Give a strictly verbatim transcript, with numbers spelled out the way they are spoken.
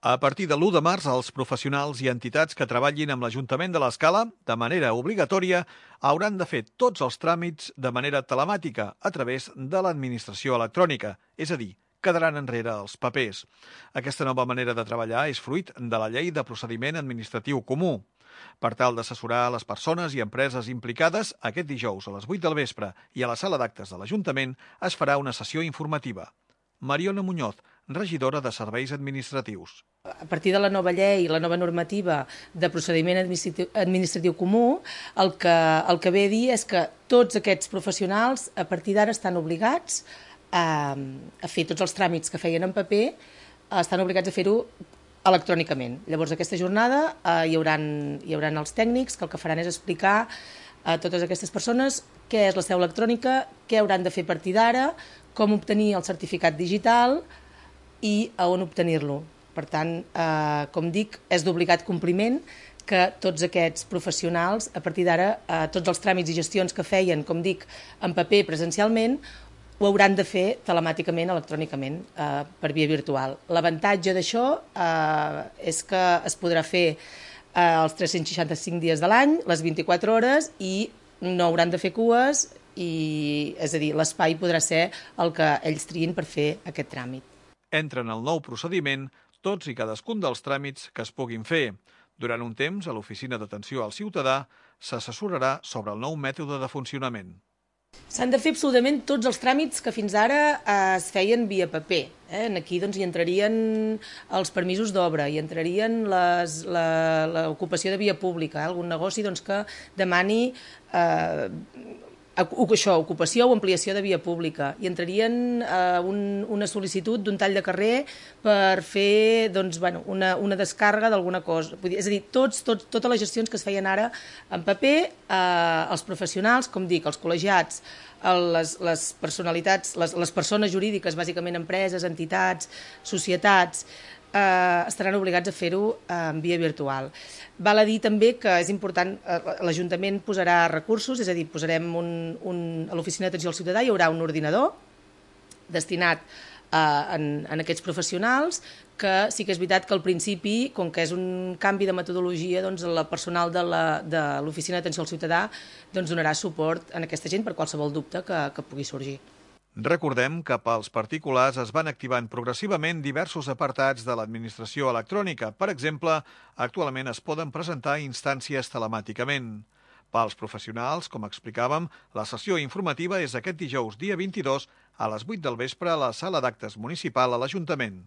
A partir de l'u de març, els professionals i entitats que treballin amb l'Ajuntament de l'Escala, de manera obligatòria, hauran de fer tots els tràmits de manera telemàtica a través de l'administració electrònica, és a dir, quedaran enrere els papers. Aquesta nova manera de treballar és fruit de la Llei de Procediment Administratiu Comú. Per tal d'assessorar les persones i empreses implicades, aquest dijous a les vuit del vespre i a la sala d'actes de l'Ajuntament es farà una sessió informativa. Mariona Muñoz, regidora de Serveis Administratius. A partir de la nova llei i la nova normativa de procediment administratiu, administratiu comú, el que, el que ve a dir és que tots aquests professionals a partir d'ara estan obligats a, a fer tots els tràmits que feien en paper, estan obligats a fer-ho electrònicament. Llavors, aquesta jornada eh, hi, hauran, hi hauran els tècnics que el que faran és explicar a totes aquestes persones què és la seu electrònica, què hauran de fer a partir d'ara, com obtenir el certificat digital i a on obtenir-lo. Per tant, eh, com dic, és d'obligat compliment que tots aquests professionals, a partir d'ara, eh, tots els tràmits i gestions que feien, com dic, en paper presencialment, ho hauran de fer telemàticament, electrònicament, eh, per via virtual. L'avantatge d'això eh, és que es podrà fer eh, els tres-cents seixanta-cinc dies de l'any, les vint-i-quatre hores, i no hauran de fer cues, i, és a dir, l'espai podrà ser el que ells triïn per fer aquest tràmit. Entra en el nou procediment tots i cadascun dels tràmits que es puguin fer. Durant un temps, a l'Oficina d'Atenció al Ciutadà s'assessorarà sobre el nou mètode de funcionament. S'han de fer absolutament tots els tràmits que fins ara eh, es feien via paper. Eh? Aquí doncs, hi entrarien els permisos d'obra, hi entrarien l'ocupació de via pública, eh? Algun negoci doncs, que demani eh, això, ocupació o ampliació de via pública. Hi entrarien eh, un, una sol·licitud d'un tall de carrer per fer doncs, bueno, una, una descàrrega d'alguna cosa. És a dir, tots, tots, totes les gestions que es feien ara en paper, eh, els professionals, com dic, els col·legiats, les, les personalitats, les, les persones jurídiques, bàsicament empreses, entitats, societats, Eh, estaran obligats a fer-ho eh, en via virtual. Val a dir també que és important, eh, l'Ajuntament posarà recursos, és a dir, posarem un, un, a l'Oficina d'Atenció al Ciutadà hi haurà un ordinador destinat eh, en, en aquests professionals, que sí que és veritat que al principi, com que és un canvi de metodologia, doncs el personal de l'Oficina d'Atenció al Ciutadà doncs donarà suport a aquesta gent per qualsevol dubte que, que pugui sorgir. Recordem que pels particulars es van activant progressivament diversos apartats de l'administració electrònica. Per exemple, actualment es poden presentar instàncies telemàticament. Pels professionals, com explicàvem, la sessió informativa és aquest dijous, dia vint-i-dos, a les vuit del vespre a la sala d'actes municipal a l'Ajuntament.